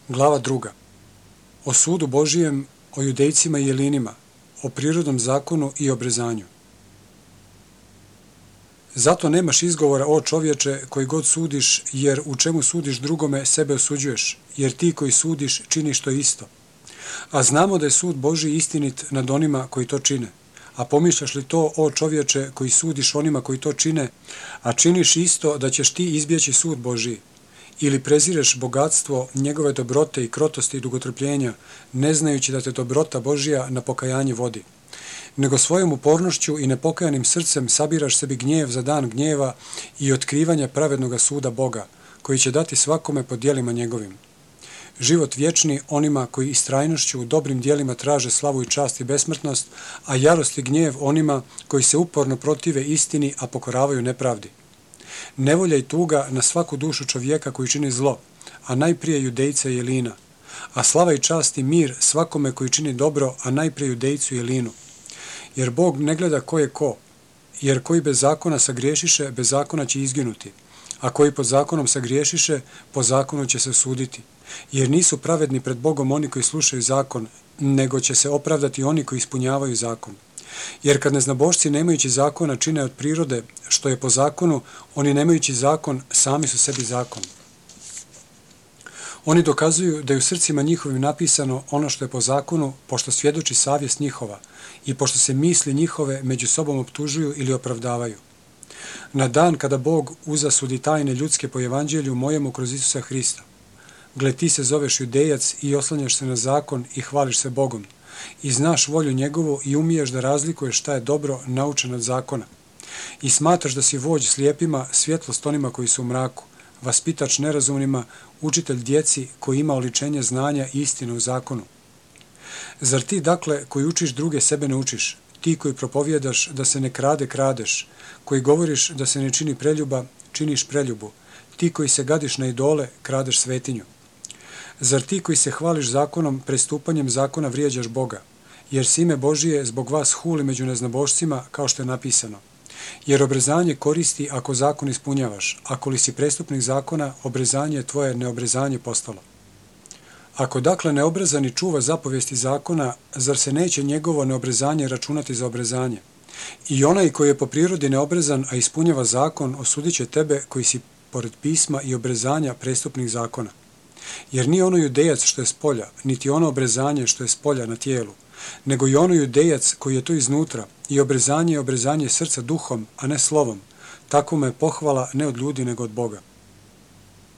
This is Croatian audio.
Glava 2. O sudu Božijem, o Judejcima i Jelinima, o prirodnom zakonu i obrezanju. Zato nemaš izgovora, o čovječe, koji god sudiš, jer u čemu sudiš drugome, sebe osuđuješ, jer ti koji sudiš činiš to isto. A znamo da je sud Božji istinit nad onima koji to čine. A pomišljaš li to, o čovječe, koji sudiš onima koji to čine, a činiš isto da ćeš ti izbjeći sud Božji? Ili prezireš bogatstvo, njegove dobrote i krotosti i dugotrpljenja, ne znajući da te dobrota Božja na pokajanje vodi? Nego svojom upornošću i nepokajanim srcem sabiraš sebi gnjev za dan gnjeva i otkrivanja pravednoga suda Boga, koji će dati svakome po djelima njegovim. Život vječni onima koji istrajnošću u dobrim djelima traže slavu i čast i besmrtnost, a jarost i gnjev onima koji se uporno protive istini, a pokoravaju nepravdi. Nevolja i tuga na svaku dušu čovjeka koji čini zlo, a najprije Judejca i Jelina, a slava i čast i mir svakome koji čini dobro, a najprije Judejcu i Jelinu. Jer Bog ne gleda ko je ko, jer koji bez zakona sagriješiše, bez zakona će izginuti, a koji pod zakonom sagriješiše, po zakonu će se suditi. Jer nisu pravedni pred Bogom oni koji slušaju zakon, nego će se opravdati oni koji ispunjavaju zakon. Jer kad neznabošci nemajući zakona čine od prirode što je po zakonu, oni nemajući zakon sami su sebi zakon. Oni dokazuju da je u srcima njihovim napisano ono što je po zakonu, pošto svjedoči savjest njihova i pošto se misli njihove među sobom optužuju ili opravdavaju. Na dan kada Bog uzasudi tajne ljudske po evanđelju mojemu kroz Isusa Hrista. Gle, ti se zoveš Judejac i oslanjaš se na zakon i hvališ se Bogom. I znaš volju njegovu i umiješ da razlikuješ šta je dobro naučen od zakona. I smatraš da si vođ slijepima, svjetlost onima koji su u mraku, vaspitač nerazumnima, učitelj djeci koji ima oličenje znanja i istine u zakonu. Zar ti, dakle, koji učiš druge, sebe ne učiš? Ti koji propovjedaš da se ne krade, kradeš, koji govoriš da se ne čini preljuba, činiš preljubu, ti koji se gadiš na idole, kradeš svetinju. Zar ti koji se hvališ zakonom, prestupanjem zakona vrijeđaš Boga? Jer se ime Božije zbog vas huli među neznabošcima, kao što je napisano. Jer obrezanje koristi ako zakon ispunjavaš, ako li si prestupnik zakona, obrezanje je tvoje neobrezanje postalo. Ako dakle neobrezani čuva zapovijesti zakona, zar se neće njegovo neobrezanje računati za obrezanje? I onaj koji je po prirodi neobrezan, a ispunjava zakon, osudit će tebe koji si pored pisma i obrezanja prestupnik zakona. Jer nije ono Judejac što je s polja, niti ono obrezanje što je s polja na tijelu, nego i ono Judejac koji je to iznutra, i obrezanje je obrezanje srca duhom, a ne slovom. Takvome je pohvala ne od ljudi nego od Boga.